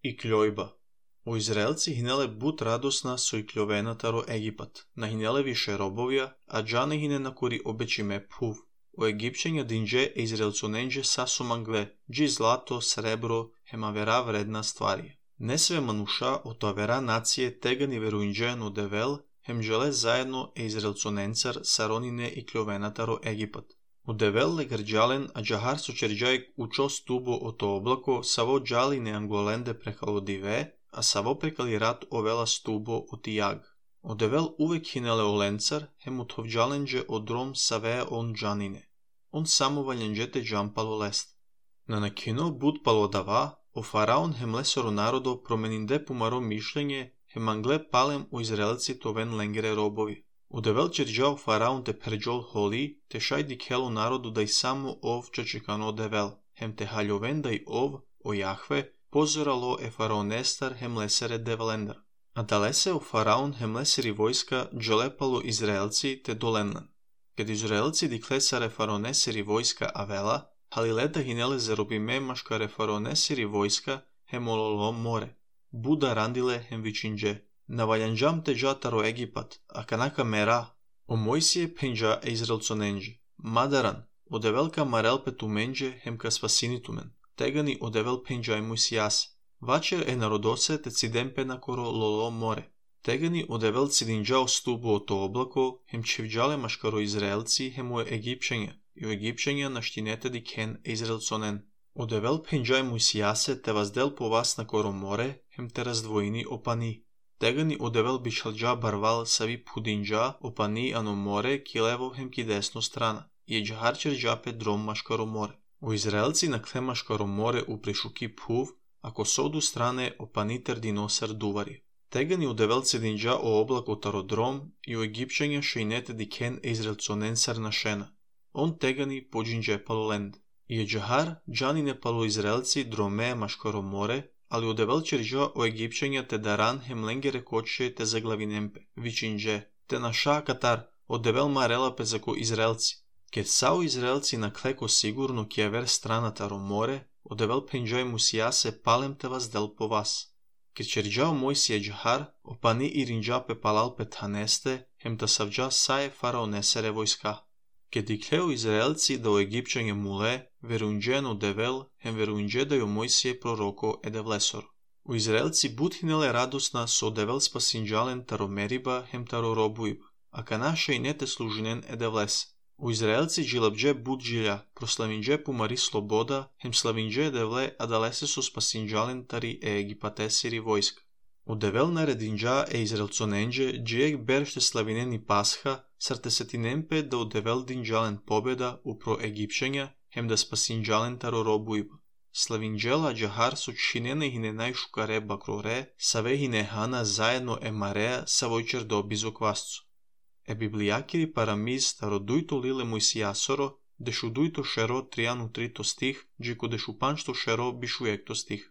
И кљојба. У Израелци хинеле бут радосна со и кљовенатаро Египат, на хинеле више робовија, а джане хине на кори обечиме пув. У Египчења динџе е израелцоненџе сасумангле, джи злато, сребро, хемавера вредна стварија. Не све мануша од авера нације тегани веруинџејан од Девел, хем желе заедно е израелцоненцар саронине и кљовенатаро Египат. У Девел ле грџален, а джахар со черџајк учо стубо ото облако, саво джали не анголенде прекало диве, а саво прекали рат овела стубо оти јаг. Од Девел увек хинеле оленцар, хем утовџаленџе од ром савеа он джанине. Он само ваљенџете джампало лест. На накино буд пало дава, о фараон хем лесоро народо променинде помаро мишлење, хем англе палем у израелци товен ленгере робови. У Девел черџао фараон те перџол холи, те шајди кело народу да и само ов чечекано Девел, хем те хаљовен да и ов, о Јахве, позорало е фараонестар хем лесере Девелендар. А да лесе о фараон хем лесери војска джелепало израелци те доленлен. Кад израелци диклесаре фараонесери војска авела, халилета хинеле заробиме машкаре фараонесери војска хем ололо море. Буда рандиле хем вичиндже. Наваљанџам те джатаро Египат, а канака мера, о Мојсие пенџа е израелцоненџи. Мадаран, о Девелка марел петуменџе хем ка спасинитумен. Тегани о Девел пенџа е Мојсијасе. Вачер е народосе те цидемпе на коро лоло море. Тегани о Девел цидинџао стубо ото облако, хем чевџале машкаро израелци хем о египчења, и о египчења наштинете ди кен е израелцонен. О Девел пенџа е Мојсијасе те воздел по вас на коро море, хем те раздвоини опани. Тегани о Девел бичалџа барвал сави пудинџа, опани ано море, ки лево хем ки десно страна, и е джахар черџапе дром машкаро море. У израелци на кле машкаро море у прешуки пув, ако соду стране опани тердиносар дувари. Тегани о Девел цединџа о облако тародром, и о египчења шејнете ди кен е израелцоненцар на шена. Он тегани поџинџе палоленд. И е джахар джанине пало израелци дроме машкаро море, али о Девел черџа о египчења те даран хем ленгере коче те заглавинемпе, вичиндже, те наша катар, о Девел марела пе зако израелци. Кед сао израелци на клеко сигурно ки авер страната ро море, о Девел пенџај Мојсијасе палем те воздел по вас. Кед черџао Мојсие джахар, опани иринџа пе палал пе танесте, хем та савџа сае фараонесере војска. Кед иклео израелци да о египчење муле, веруинџен о Девел, хем веруинџе да ја Мојсие пророко е девлесор. У израелци бутхинеле радосна со Девел спасинџален таро Мериба хем таро робуиба, а канаша и нете служинен е девлес. У израелци джилабџе буджилја, прославиндже помари слобода, хем славиндже девле, а далесе со спасинџален тари е египатесири војска. У Девел нарединџа е израелцоненџе, джиек берште славинени Пасха, сартесетинемпе да о Девел динџален победа упро египчења, хем да спасинџален таро робуиба. Славинџела джахар со чинене хиненај шукаре бакроре, саве хинехана заедно е мареа са војчер до бизоквасцу. Е библијакири парамиз таро дујто лиле Мојсијасоро, дешу дујто шеро тријану трито стих, джико дешу панчто шеро бишу екто стих.